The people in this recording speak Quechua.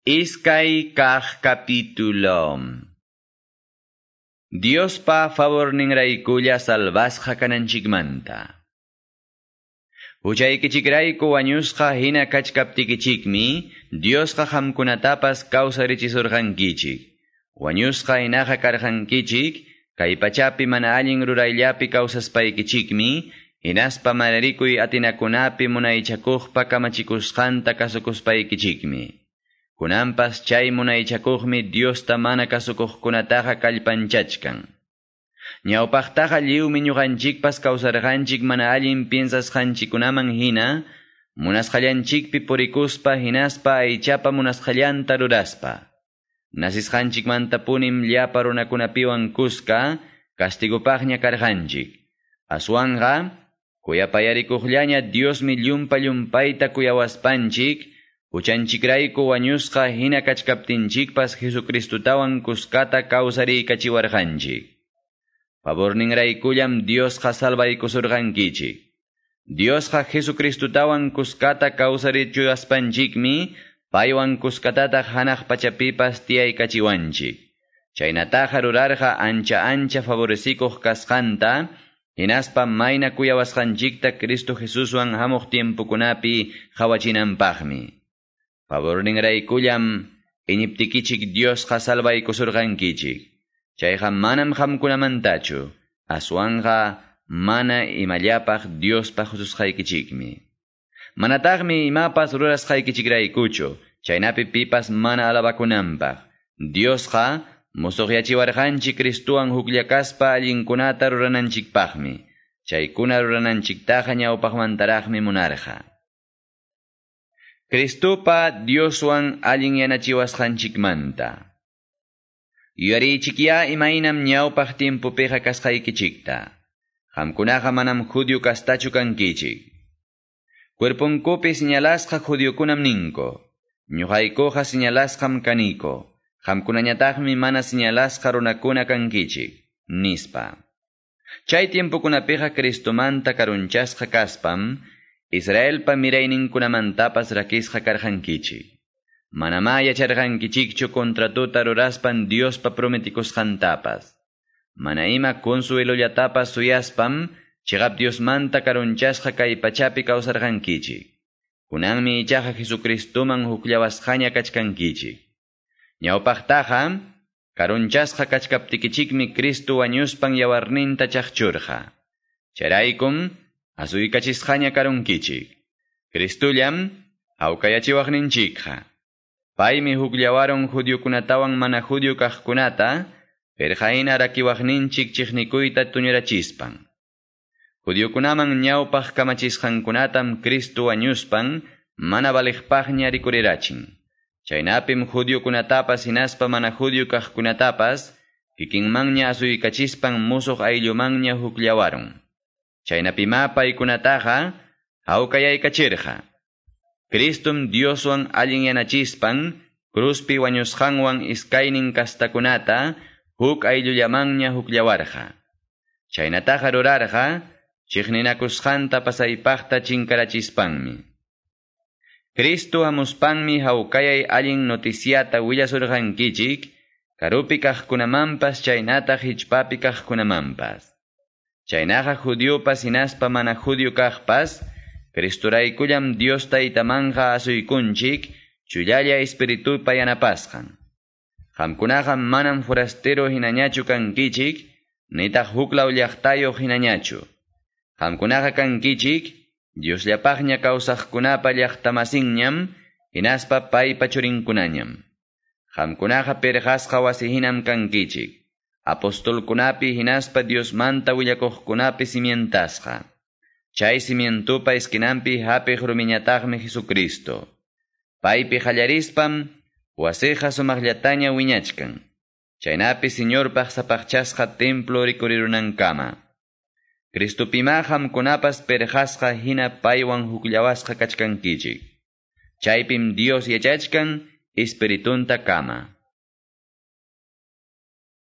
Iskay kaq capítulo. Diospa favorninraykulla salvasqa kananchikmanta. Huchaykichikrayku wañusqa hina kachkaptikichikmi, Diosqa qamkunatapas kawsarichisurqankichik. Wañusqa hinaqa karqankichik, kay pachapi mana allin rurayllapi kawsaspaykichikmi, hinaspa mana rikuy atinakunapi munaychakuqpa kamachikusqanta kasukuspaykichikmi. Kunanpas chay munaychakuqmi Diosta mana kasukuqkunataqa kallpanchachkan. Ñawpaqtaqa lliwmi ñuqanchikpas kawsarqanchik mana allin piensasqanchikkunaman hina, munasqallanchikpi purikuspa hinaspa aychapa munasqallanta ruraspa. Nasisqanchikmantapunim llapa runakunapiwan kuska castigopaqña karqanchik. Aswanqa, kuyapayarikuqllaña Diosmi llumpa llumpayta kuyawaspanchik, Huchanchikrayku wañusqa hina kachkaptinchikpas Jesucristutawan kuskata kawsariykachiwarqanchik. Favorninraykullam Diosqa salvaykusurqankichik. Diosqa Jesucristutawan kuskata kawsarichiwaspanchikmi paywan kuskatataq hanaq pachapipas tiyaykachiwanchik. Chaynataqa rurarqa ancha ancha favorecikuq kasqanta, hinaspa mayna kuyawasqanchikta Cristo Jesuswan hamuq tiempokunapi qhawachinanpaqmi. Favorninraykullam iñiptikichik Diosqa salvaykusurqankichik. Chayqa manam qamkunamantachu, aswanqa mana imallapaq Diospa hususqaykichikmi. Manataqmi imapas rurasqaykichikraykuchu, chaynapi pipas mana alabakunanpaq. Diosqa musuqyachiwarqanchik Cristuwan hukllakaspa allinkunata rurananchikpaqmi. Chaykuna rurananchiktaqa ñawpaqmantaraqmi munarqa. Cristupa Dioswan allin yanachiwasqanchikmanta. Yuyarichikya imaynam ñawpaq tiempopiqa kasqaykichikta. Qamkunaqa manam judío kastachu kankichik. Cuerponkupi señalasqa judiokunam ninko. Ñuqaykuqa señalasqam kaniko. Qamkunañataqmi mana señalasqa runakuna kankichik, nispa. Chay tiempokunapiqa Cristomanta karunchasqa kaspam, Israelpa mirayninkunamantapas rakisqa karqankichik. Manamá yacharqankichikchu contratuta ruraspan Diospa prometikusqantapas. Mana ima consuelollatapas suyaspam, chiqap Diosmanta karunchasqa kay pachapi kawsarqankichik. Kunanmi ichaqa Jesucristuman hukllawasqaña kachkankichik. Ñawpaqtaqa, karunchasqa kachkaptikichikmi Cristo wañuspan yawarninta chaqchurqa. Chayraykum, asuykachisqaña karunkichik. Cristullam hawkayachiwaqninchikqa. Paymi hukllawarun judiokunatawan mana judio kaqkunata, pirqahina rakiwaqninchik chiqnikuyta tuñurachispan. Judiokunaman ñawpaq kamachisqankunatam Cristo wañuspan mana valiqpaqña rikurirachin. Chaynapim judiokunatapas hinaspa mana judio kaqkunatapas kikinmanña asuykachispan musuq ayllumanña hukllawarun. Chaynapima paykunataqa hawkayaykachirqa. Cristum Dioswan allin yanachispan cruzpi wañusqanwan iskaynin kastakunata huk ayllullamanña hukllawarqa. Chaynataqa rurarqa chiqninakusqanta pasaypaqta chinkarachispanmi. Cristo hamuspanmi hawkayay allin noticiata willasurqankichik, karupi kaqkunamanpas chaynataq hichpapi kaqkunamanpas. Chaynaqa judiopas hinaspa mana judio kaqpas, Cristuraykullam Dios taytamanqa asuykunchik, chullalla espiritupa yanapasqan. Qamkunaqa manam forastero hinañachu kankichik, nitaq huklaw llaqtayuq hinañachu. Qamkunaqa kankichik, Diosllapaqña kawsaqkunapa llaqtamasinñam, hinaspa paypa churinkunañam. Qamkunaqa pirqasqa wasi hinam kankichik. Apostolkunapi hinaspa Diosmanta willakuqkunapi cimientasqa. Chay cimientupa esquinampi hapiq rumiñataqmi Jesucristo. Paypi qallarispam wasiqa sumaqllataña wiñachkan. Chaynapi Señorpaq sapaqchasqa templo rikurirunankama. Cristopima qamkunapas pirqasqa hina paywan hukllawasqa kachkankichik. Chaypim Dios yachachkan espiritunta kama.